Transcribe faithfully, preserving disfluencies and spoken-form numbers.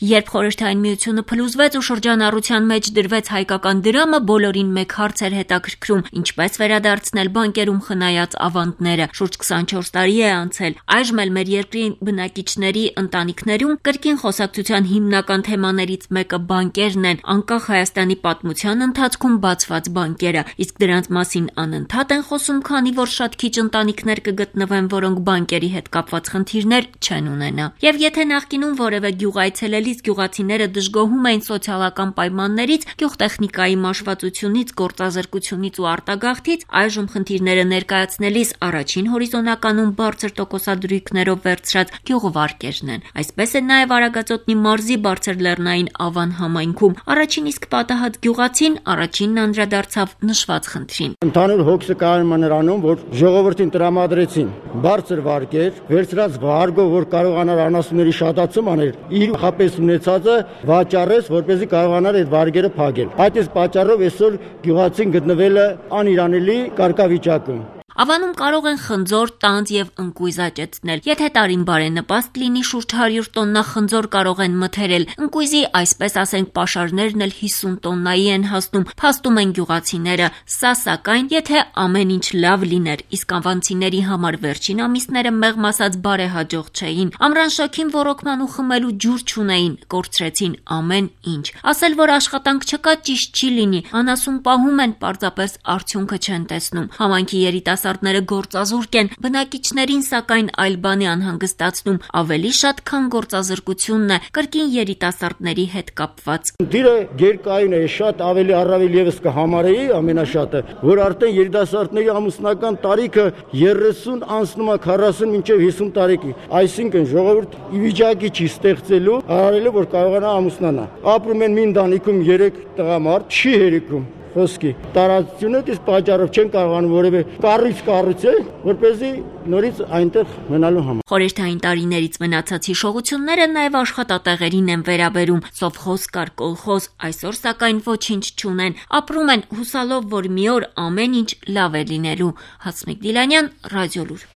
Երբ Խորհրդային Միությունը փլուզվեց ու շրջանառության մեջ դրվեց հայկական դրամը, բոլորին մեկ հարց էր հետաքրքրում՝ ինչպես վերադարձնել բանկերում խնայած ավանդները։ Շուրջ քսանչորս տարի է անցել։ Այժմ էլ մեր երկրի բնակիչների ընտանիքներում կրկին խոսակցության հիմնական թեմաներից մեկը բանկերն են, անկախ Հայաստանի պատմության ընթացքում բացված բանկերը, իսկ դրանց մասին անընդհատ են խոսում, քանի որ շատ քիչ ընտանիքներ կգտնվեն, որոնք բանկերի հետ կապված խնդիրներ չեն ունենա։ Եվ եթե նախկինում որևէ գյուղ այցելելիս գյուղացիները դժգոհում էին սոցիալական պայմաններից, գյուղտեխնիկայի մաշվածությունից, գործազրկությունից ու արտագաղթից, այժմ խնդիրները ներկայացնելիս առաջին հորիզոնականում բարձր տոկոսադրույքներով վերցրած գյուղվարկերն են։ Այսպես է նաև Արագածոտնի մարզի Բարձր Լեռնային Ավան համայնքում։ Առաջին իսկ պատահած գյուղացին առաջինն անդրադարձավ նշված խնդրին։ Ընդհանուր հոգսը կայանում է նրանում, որ ժողովրդին տրամադրեցին բարձր վարկեր, վերցրած վարգով, որ կարողանար անասունների շատացում անել, իր խապես ունեցածը վաճառեց, որպեսզի կարողանար այդ վարգերը փակել։ Այդ իսկ պատճառով այսօր գյուղացին գտնվել է անիրանելի կարգավիճակում։ Ավանում կարող են խնձոր, տանձ եւ ընկույզ աճեցնել։ Եթե տարին բարենպաստ լինի, շուրջ հարյուր տոննա խնձոր կարող են մթերել։ Ընկույզի, այսպես ասենք, պաշարներն էլ հիսուն տոննայի են հասնում, փաստում են գյուղացիները։ Սա սակայն, եթե ամեն ինչ լավ լիներ, իսկ ավանցիների համար վերջին ամիսները մեղմ ասած բարեհաջող չէին։ Ամռան շոգին ոռոգման ու խմելու ջուր չունեին, կորցրեցին ամեն ինչ։ Ասել, որ աշխատանք չկա, ճիշտ չի լինի։ Անասուն պահում են, պարզապես արդյունքը չեն տեսնում։ Համայնքի երիտասարդները գործազուրկ են, բնակիչներին սակայն այլ բան է անհանգստացնում, ավելի շատ քան գործազրկությունն է, կրկին երիտասարդների հետ կապված։ Դիրը գերկայուն է, շատ ավելի առավել եւս կհամարեի ամենաշատը, որ արդեն երիտասարդների ամուսնական տարիքը երեսուն անցնում է քառասուն մինչև հիսուն տարեկի։ Այսինքն ժողովուրդ ի վիճակի չի ստեղծելու, արարելու, որ կարողանա ամուսնանա։ Ապրում են մի ընտանիքում երեք տղամարդ, չի հերիքում։ Խոսքի տարածությունը դից պատճառով չեն կարողանում որևէ կառույց կառուցել, որպեսզի նորից այնտեղ մնալու համար։ Խորհրդային տարիներից մնացած հիշողությունները նաև աշխատատեղերին են վերաբերում։ Սովխոզ կար, կոլխոզ, այսօր սակայն ոչինչ չունեն։ Ապրում են հուսալով, որ մի օր ամեն ինչ լավ է լինելու։ Հասմիկ Դիլանյան, Ռադիոլուր։